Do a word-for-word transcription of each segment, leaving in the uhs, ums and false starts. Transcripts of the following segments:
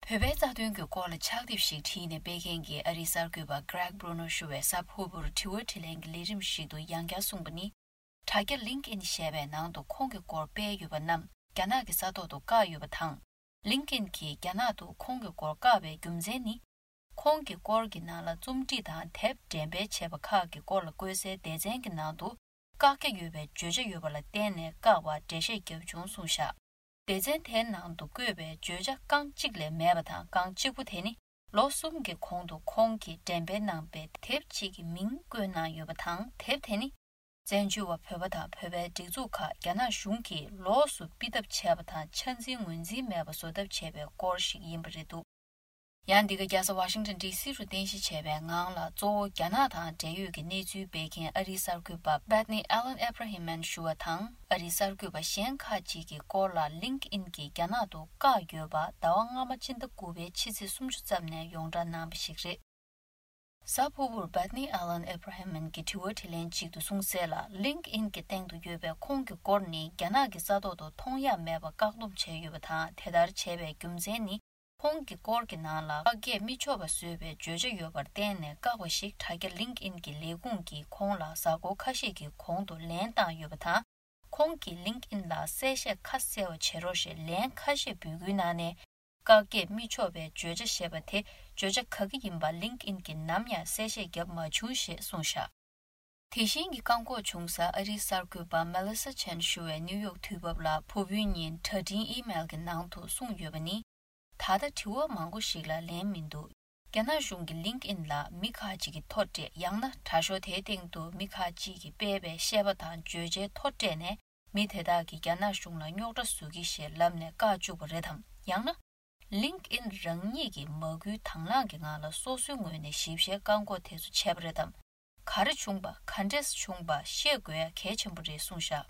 བོད་པའི་རྩ་དོན་གྱི་སྐོར་ལ་ཕྱག་དེབ་ཞིག་བྲིས་ནས་སྤེལ་མཁན་གྱི་ཨ་རིའི་གསར་འགོད་པ་Greg Bruno ཞུ་བས་གཟའ་ཕུར་བུར་དྲི་བ་དྲིས་ལན་གྱི་ལས་རིམ་ཞིག་ཏུ་ཡང་བསྐྱར་གསུངས་པ་ནི། དྲ་རྒྱ་LinkedIn ཞེས་པའི་ནང་དུ་ཁོང་གི་སྐོར་སྤེལ་ཡོད་པ་རྣམས་རྒྱ་ནག་གི་ས་ཐོག་ཏུ་བཀག་ཡོད་པ་དང་། LinkedIn གྱིས་རྒྱ་ནག་ཏུ་ཁོང་གི་སྐོར་བཀག་པའི་རྒྱུ་མཚན་ནི། ཁོང་གི་སྐོར་གྱི་ནང་ལ་རྩོམ་བྲིས་དང་དེབ་འགྲེམས་སྤེལ་བྱས་པ་ཁག་གི་སྐོར་ལ་བཀོད་སའི་སྡེ་ཚན་གྱི་ནང་དུ་བཀག་རྒྱ་ཡོད་པའི་བརྗོད་བྱ་ཡོད་པ་ལ་བརྟེན་ནས་བཀག་པར་འགྲེལ་བཤད་བརྒྱབ་བྱུང་གསུངས་བཞག། སྡེ་ཚན་དེའི་ནང་དུ་བཀོད་པའི་བརྗོད་བྱ་རྐང་གཅིག་ལས་མེད་པ་དང་། རྐང་གཅིག་པོ་དེ་ནི་ལོ་གསུམ་གྱི་གོང་དུ་ཁོང་གིས་འགྲེམས་སྤེལ་གནང་པའི་དེབ་ཅིག་གི་མིང་བཀོད་གནང་ཡོད་པ་དང་། དེབ་དེ་ནི་བཙན་བྱོལ་བ་བོད་པ་དང་བོད་པའི་སྒྲིག་འཛུགས་ཁག་རྒྱ་ནག་གཞུང་གིས་ལོགས་སུ་ཕུད་ཐབས་བྱས་པ་དང་། ཆ་འཛིན་ངོས་འཛིན་མེད་པ་བཟོ་ཐབས་བྱས་པའི་སྐོར་ཞིག་ཡིན་པ་རེད་འདུག། ཡང་འདི་ག་རྒྱལ་ས་ཝ་ཤིང་ཊོན་ཌི་སི་རུ་རྟེན་གཞི་བྱས་པའི་ངང་ལ། གཙོ་བོ་རྒྱ་ནག་དང་འབྲེལ་ཡོད་ཀྱི་གནས་ཚུལ་སྤེལ་མཁན་ཨ་རིའི་གསར་འགོད་པ་Bethany Allen Abrahamman ཞུ་བ་དང་། ཨ་རིའི་གསར་འགོད་པ་གཞན་ཁག་ཅིག་གི་སྐོར་ལ་LinkedIn གྱིས་རྒྱ་ནག་ཏུ་བཀག་ཡོད་པ་ཟླ་བ་སྔ་མ་སྤྱི་ཟླ་དགུ་པའི་ཕྱི་ཚེས་སུམ་ཅུ་ཙམ་ནས་ཡོངས་བསྒྲགས་གནང་བ་ཞིག་རེད། གཟའ་ཕུར་བུར་Bethany Allen Abrahamman གྱིས་དྲི་བ་དྲིས་ལན་ཅིག་ཏུ་གསུངས་གསལ་ལ། LinkedIn གྱི་སྟེང་དུ་ཡོད་པའི་ཁོང་གི་སྐོར་ནི་རྒྱ་ནག་གི་ས་ཐོག་ཏུ་མཐོང་ཡ་མེད་པ་བཀག་སྡོམ་བྱས་ཡོད་པ་དང་། དེ་ལྟར་བྱས་པའི་རྒྱུ་མཚན་ནི། ཁོང་གི་སྐོར་གྱི་ནང་ལ་བཀག་རྒྱ་མི་ཆོག་པ་བཟོས་པའི་བརྗོད་བྱ་ཡོད་པར་བརྟེན་ནས་བཀག་པ་ཞིག་དྲ་རྒྱ་LinkedIn གྱི་ལས་ཁུངས་ཀྱིས་ཁོང་ལ་གཟའ་འཁོར་ཁ་ཤས་ཀྱི་གོང་དུ་ལན་བཏང་ཡོད་པ་དང་། ཁོང་གིས་LinkedIn ལ་གསལ་བཤད་ཁ་གསལ་བ་བྱེད་རོགས་ཞེས་ལན་ཁ་ཤས་འབོད་སྐུལ་གནང་ནས། བཀག་རྒྱ་མི་ཆོག་པའི་བརྗོད་བྱ་ཞེས་པ་དེ་བརྗོད་བྱ་ག་གི་ཡིན་པ་LinkedIn གྱིས་ནམ་ཡང་གསལ་བཤད་བརྒྱབ་མ་བྱུང་ཞེས་གསུངས་བཞག། དེ་བཞིན་གྱི་བཀག་འགོག་བྱུང་ས་ཨ་རིའི་གསར་འགོད་པ་Melissa Chen ཞུ་བས་ནིའུ་ཡོག་དུས་བབ་ལ་ཕུར་བུའི་ཉིན་དྲ་འཕྲིན་ཨི་མེལ་གྱི་ནང་དུ་གསུངས་ཡོད་པ་ནི། ད་ལྟ་དྲི་བ་མང་པོ་ཞིག་ལ་ལན་མི་འདུག། རྒྱ་ནག་གཞུང་གིས་LinkedIn ལ་མི་ཁག་ཅིག་གིས་མཐོ་སྤྲད། ཡང་ན་དྲ་ཤོག་དེའི་སྟེང་དུ་མི་ཁག་ཅིག་གིས་སྤེལ་བའི་བཤད་པ་དང་བརྗོད་བྱའི་མཐོ་སྤྲད་ནས། མི་དེ་དག་གིས་རྒྱ་ནག་གཞུང་ལ་རྙོག་དྲ་བཟོ་གི་ཞེས་ལབ་ནས་བཀག་བཅུག་པ་རེད་དམ། ཡང་ན། LinkedIn རང་ཉིད་ཀྱིས་མ་བསྐུལ་དང་བླངས་ཀྱི་ངང་ལ་སོ་སོའི་ངོས་ནས་ཞིབ་བཤེར་བཀག་འགོག་དེ་ཚོ་བྱས་པ་རེད་དམ། ག་རེ་བྱུང་པ། ག་འདྲས་བྱུང་པ་ཤེས་དགོས་ཡ་གལ་ཆེན་པོ་རེད་གསུངས་བཞག།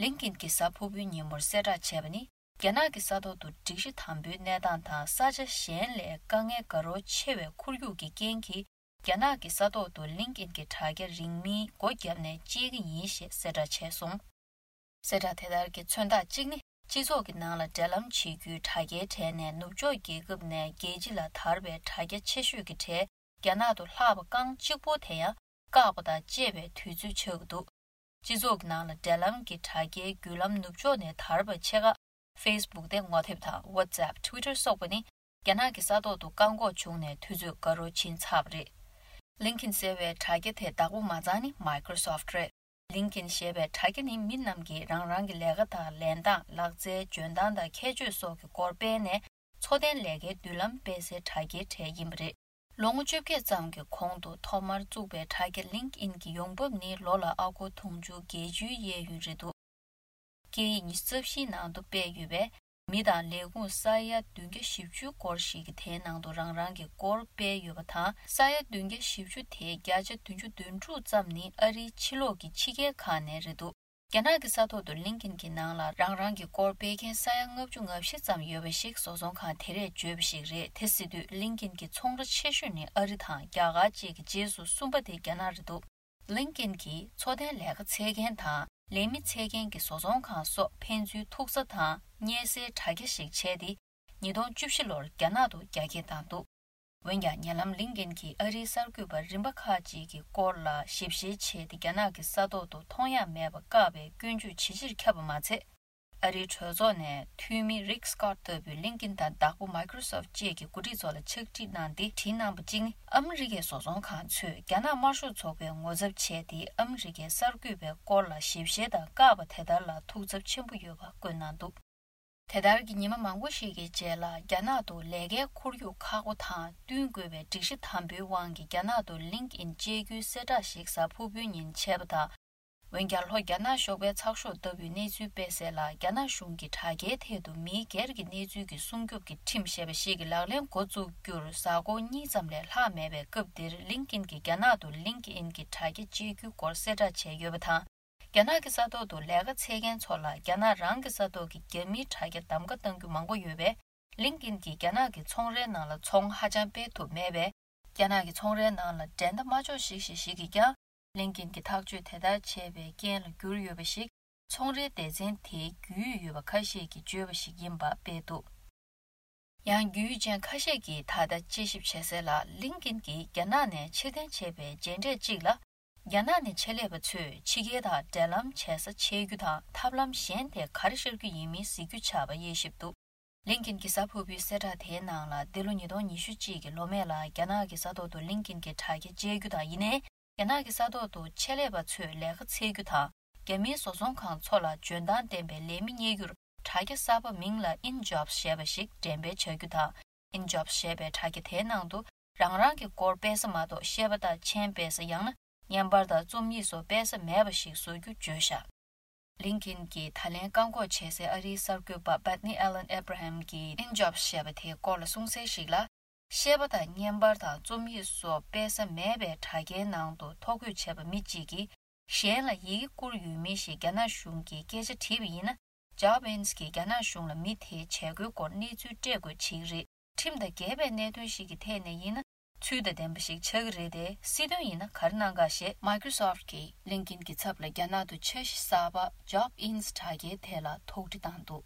LinkedIn གྱིས་གཟའ་ཕུར་བུའི་ཉིན་མོར་གསལ་བསྒྲགས་བྱས་པ་ནི། རྒྱ་ནག་གི་ས་ཐོག་ཏུ་སྒྲིག་གཞི་དམ་པོའི་གནས་སྟངས་དང་ས་ཆ་གཞན་ལས་དཀའ་ངལ་དགའ་རབ་ཆེ་བའི་ཁོར་ཡུག་གི་རྐྱེན་གྱིས། རྒྱ་ནག་གི་ས་ཐོག་ཏུ་LinkedIn གྱི་དྲ་རྒྱ་རིང་མིན་སྒོ་བརྒྱབ་ནས་སྤྱད་ཀྱི་ཡིན་ཞེས་གསལ་བསྒྲགས་བྱས་སོང་། གསལ་བསྒྲགས་དེ་ལྟར་གྱི་མཚོན་རྟགས་གཅིག་ནི། སྤྱི་ཚོགས་ཀྱི་ནང་ལ་འབྲེལ་ལམ་བྱེད་རྒྱུའི་དྲ་རྒྱའི་གྲས་ནས་ནུབ་ཕྱོགས་རྒྱལ་ཁབ་ནས་རྒྱལ་སྤྱི་ལ་དར་བའི་དྲ་རྒྱ་ཆེ་ཤོས་ཀྱི་གྲས་རྒྱ་ནག་ཏུ་ལྷག་པ་རྐང་གཅིག་པོ་དེ་ཡང་བཀག་པ་དང་བཅས་པའི་དུས་ཚོད་ཆགས་ཀྱི་འདུག། སྤྱི་ཚོགས་ཀྱི་ནང་ལ་འབྲེལ་ལམ་གྱི་དྲ་རྒྱའི་བརྒྱུད་ལམ་ནུབ་ཕྱོགས་ནས་དར་བ་ཆེ་ཁག་Facebook དེ་ངོ་དེབ་དང་WhatsApp Twitter སོགས་པ་ནི་རྒྱ་ནག་གི་ས་ཐོག་ཏུ་བཀག་འགོག་བྱུང་ནས་དུས་ཚོད་དགའ་རབ་ཕྱིན་ཚར་བ་རེད། LinkedIn ཟེར་བའི་དྲ་རྒྱ་དེ་བདག་པོ་མ་རྩ་ནི་Microsoft རེད། LinkedIn ཞེས་པའི་དྲ་རྒྱ་ནི་མི་རྣམས་ཀྱིས་རང་རང་གི་ལས་ཀ་དང་ལེན་སྟངས། ལག་རྩལ་འཇོན་ཐང་དང་ཁྱད་ཆོས་སོགས་ཀྱི་སྐོར་སྤེལ་ནས་འཚོ་རྟེན་ལས་ཀའི་མདུན་ལམ་སྤེལ་སའི་དྲ་རྒྱའི་གྲས་ཡིན་པ་རེད། ལོ་ངོ་བཅོ་བརྒྱད་ཙམ་གྱི་གོང་དུ་ཐོག་མར་བཙུགས་པའི་དྲ་རྒྱ་LinkedIn གྱི་ཡོང་འབབ་ནི་ལོ་ལ་ཨ་སྒོར་དུང་ཕྱུར་བརྒྱད་ཅུའི་གཡས་གཡོན་རེད་འདུག། སྐད་ཡིག་ཉི་ཤུ་རྩ་བཞིའི་ནང་དུ་སྤེལ་ཡོད་པས། མི་དང་ལས་ཁུངས་ས་ཡ་བདུན་བརྒྱ་བཞི་བཅུ་སྐོར་ཞིག་གིས་དེའི་ནང་དུ་རང་རང་གི་སྐོར་སྤེལ་ཡོད་པ་དང་། ས་ཡ་བདུན་བརྒྱ་བཞི་བཅུ་དེའི་བརྒྱ་ཆ་བདུན་ཅུ་དོན་དྲུག་ཙམ་ནི་ཨ་རིའི་ཕྱི་ལོགས་ཀྱི་ཕྱི་རྒྱལ་ཁག་ནས་རེད་འདུག། རྒྱ་ནག་གི་ས་ཐོག་ཏུ་LinkedIn གྱི་ནང་ལ་རང་རང་གི་སྐོར་སྤེལ་མཁན་ས་ཡ་ལྔ་བཅུ་ང་བཞི་ཙམ་ཡོད་པ་ཞིག་བཟོ་ཚོང་ཁང་དེ་རས་བརྗོད་པ་ཞིག་རེད། དེ་ཟེར་དུས་LinkedIn གྱི་ཚོང་ར་ཆེ་ཤོས་ནི་ཨ་རི་དང་རྒྱ་གར་བཅས་ཀྱི་རྗེས་སུ་གསུམ་པ་དེ་རྒྱ་ནག་རེད་འདུག། LinkedIn གྱིས་འཚོ་རྟེན་ལས་ཀ་འཚོལ་མཁན་དང་ལས་མི་འཚོལ་མཁན་གྱི་བཟོ་ཚོང་ཁང་སོགས་ཕན་ཚུན་ཐུག་ས་དང་རྙེད་སའི་དྲ་རྒྱ་ཞིག་བྱས་ཏེ། ཉིས་སྟོང་བཅུ་བཞི་ལོར་རྒྱ་ནག་ཏུ་རྒྱ་སྐྱེད་བཏང་འདུག། འོན་ཀྱང་ཉེ་ལམ་LinkedIn གྱིས་ཨ་རིའི་གསར་འགོད་པ་རིམ་པ་ཁག་ཅིག་གི་སྐོར་ལ་ཞིབ་བཤེར་བྱས་ཏེ། རྒྱ་ནག་གི་ས་ཐོག་ཏུ་མཐོང་ཡ་མེད་པ་བཀག་པའི་སྐྱོན་བརྗོད་ཇེ་ཆེར་ཁྱབ་པ་མ་ཚད། ཨ་རིའི་གྲོས་ཚོགས་ནས་འཐུས་མི་Rick Scott ལྟ་བུས་LinkedIn དང་བདག་པོ་Microsoft བཅས་ཀྱི་འགོ་ཁྲིད་ཚོ་ལ་ཕྱག་བྲིས་གནང་སྟེ། བྲིས་གནང་པ་གཅིག་ནི། ཨ་མི་རི་ཀའི་བཟོ་ཚོང་ཁང་ཚོས་རྒྱ་ནག་དམར་ཤོག་ཚོགས་པའི་ངོ་ཚབ་བྱས་ཏེ། ཨ་མི་རི་ཀའི་གསར་འགོད་པའི་སྐོར་ལ་ཞིབ་བཤེར་དང་བཀག་པ་དེ་ལྟར་ལ་ཐུགས་འཚབ་ཆེན་པོ་ཡོད་པ་བཀོད་གནང་འདུག། དེ་ལྟར་གྱི་ཉི་མ་མང་པོ་ཞིག་གི་རྗེས་ལ། རྒྱ་ནག་ཏུ་ལས་ཀའི་ཁོར་ཡུག་ཁག་པོ་དང་བསྟུན་དགོས་པའི་སྒྲིག་གཞི་དམ་པོའི་དབང་གིས། རྒྱ་ནག་ཏུ་LinkedIn བཅད་རྒྱུའི་གསལ་བསྒྲགས་ཤིག་གཟའ་ཕུར་བུའི་ཉིན་བྱས་པ་དང་། འོན་ཀྱང་། ལྷོ་རྒྱ་ནག་གཞོགས་པའི་ཚགས་ཤོག་ལྟ་བུའི་གནས་ཚུལ་སྤེལ་གསལ་ལ། རྒྱ་ནག་གཞུང་གིས་དྲ་རྒྱའི་ཐད་དུ་མིའི་སྒེར་གྱི་གནས་ཚུལ་གྱི་སྲུང་སྐྱོབ་ཀྱི་ཁྲིམས་ཞེས་པ་ཞིག་གི་ལག་ལེན་འགོ་བཙུགས་རྒྱུར་གཟའ་འཁོར་གཉིས་ཙམ་ལས་ལྷག་མེད་པའི་སྐབས་འདིར། LinkedIn གྱིས་རྒྱ་ནག་ཏུ་LinkedIn གྱི་དྲ་རྒྱ་བཅད་རྒྱུའི་སྐོར་གསལ་བསྒྲགས་བྱས་ཡོད་པ་དང་། རྒྱ་ནག་གི་ས་ཐོག་ཏུ་ལས་ཀ་འཚོལ་མཁན་ཚོ་ལ། རྒྱ་ནག་རང་གི་ས་ཐོག་གི་རྒྱ་མིའི་དྲ་རྒྱ་གདམ་ག་གཏང་རྒྱུ་མང་པོ་ཡོད་པས། LinkedIn གྱིས་རྒྱ་ནག་གི་ཚོང་རའི་ནང་ལ་ཚོང་ཧ་ཅང་སྤེལ་ཐུབ་མེད་པས། རྒྱ་ནག་གི་ཚོང་རའི་ནང་ལ་འགྲན་ཟླ་མ་ལྕོགས་ཤིག་ཤིག་ཤིག་གིས་ཀྱང་། LinkedIn གྱི་ཐག་གཅོད་དེ་ལྟར་བྱས་པའི་རྐྱེན་ལ་གྱུར་ཡོད་པ་ཞིག་ཚོང་རའི་སྡེ་ཚན་དེའི་རྒྱུས་ཡོད་པ་ཁ་ཤས་ཀྱིས་བརྗོད་པ་ཞིག་ཡིན་པ་སྤེལ་འདུག། ཡང་། རྒྱུས་ཡོད་ཅན་ཁ་ཤས་ཀྱིས་ད་ལྟ་དཔྱད་ཞིབ་བྱེད་སའི་ལ། ལིན་ཀིན་གྱིས་རྒྱ་ནག་ནས་ཕྱིར་འཐེན་བྱས་པའི་མཇལ་འཕྲད་གཅིག་ལ། རྒྱ་ནག་ནས་ཆེད་ལས་པ་ཚོས་ཕྱི་རྒྱལ་དང་འབྲེལ་ལམ་བྱེད་ས་ཆད་རྒྱུ་དང་། ཐབས་ལམ་གཞན་དེ་ག་རེ་ཤར་རྒྱུ་ཡིན་མིན་གཟིགས་རྒྱུ་ཆགས་པ་དབྱེ་ཞིབ་འདུག་ལིན་ཀིན་གྱིས་གཟའ་ཕུར་བུའི་གསལ་བསྒྲགས་དེའི་ནང་ལ། འདི་ལོ་ཉིས་སྟོང་ཉི་ཤུ་གཅིག་གི་ལོ་སྨད་ལ་རྒྱ་ནག་གི་ས་ཐོག་ཏུ་ལིན་ཀིན་གྱི་དྲ་རྒྱ་བཅད་རྒྱུ་དང་། ཡིན་ནའི། རྒྱ་ནག་གི་ས་ཐོག་ཏུ་ཆེད་ལས་པ་ཚོས་ལས་ཀ་འཚོལ་རྒྱུ་དང་། རྒྱ་མིའི་བཟོ་ཚོང་ཁང་ཚོ་ལ་འཇོན་ཐང་ལྡན་པའི་ལས་མི་རྙེད་རྒྱུར། དྲ་རྒྱ་གསར་པ་མིང་ལ་InJobs ཞེས་པ་ཞིག་འགྲེམས་སྤེལ་བྱ་རྒྱུ་དང་། InJobs ཞེས་པའི་དྲ་རྒྱ་དེའི་ནང་དུ། རང་རང་གི་སྐོར་སྤེལ་ས་མ་གཏོགས། ཤེས་པ་དང་མཆན་སྤེལ་ས། ཡང་ན་བརྙན་པར་དང་རྩོམ་ཡིག་སོགས་སྤེལ་ས་མེད་པ་ཞིག་བཟོ་རྒྱུ་བརྗོད་བཞག་ལིན་ཀིན་གྱིས་ད་ལན་བཀག་འགོག་བྱེད་སའི་ཨ་རིའི་གསར་འགོད་པ་Bethany Allen Abraham གྱིས་InJobs ཞེས་པ་དེའི་སྐོར་ལ་གསུངས་གསལ་ཞིག་ལ། ཤེས་པ་དང་བརྙན་པར་དང་རྩོམ་ཡིག་སོགས་སྤེལ་ས་མེད་པའི་དྲ་རྒྱའི་ནང་དུ་ཐོ་འགོད་བྱས་པ་མི་གཅིག་གིས། གཞན་ལ་ཡི་གེ་བསྐུར་ཡོད་མེད་ཞེས་རྒྱ་ནག་གཞུང་གིས་སྐད་ཆ་དྲིས་པ་ཡིན་ན། Job Ins གིས་རྒྱ་ནག་གཞུང་ལ་མི་དེའི་བྱེད་སྒོའི་སྐོར་གནས་ཚུལ་སྤྲད་དགོས་བྱེད་ཀྱི་རེད། ཁྲིམས་དང་འགལ་བའི་གནད་དོན་ཞིག་གི་ཐད་ནས་ཡིན་ན། ཚུལ་དང་ལྡན་པ་ཞིག་ཆགས་ཀྱི་རེད་དེ། སྲིད་དོན་ཡིན་ན་ག་རེ་གནང་ག་ཞེས། Microsoft གིས་ལིན་ཀིན་གྱི་ཚབ་ལ་རྒྱ་ནག་ཏུ་འཆར་གཞི་གསར་པ་Job Ins དྲ་རྒྱའི་ཐད་ལ་དོགས་འདྲི་བཏང་འདུག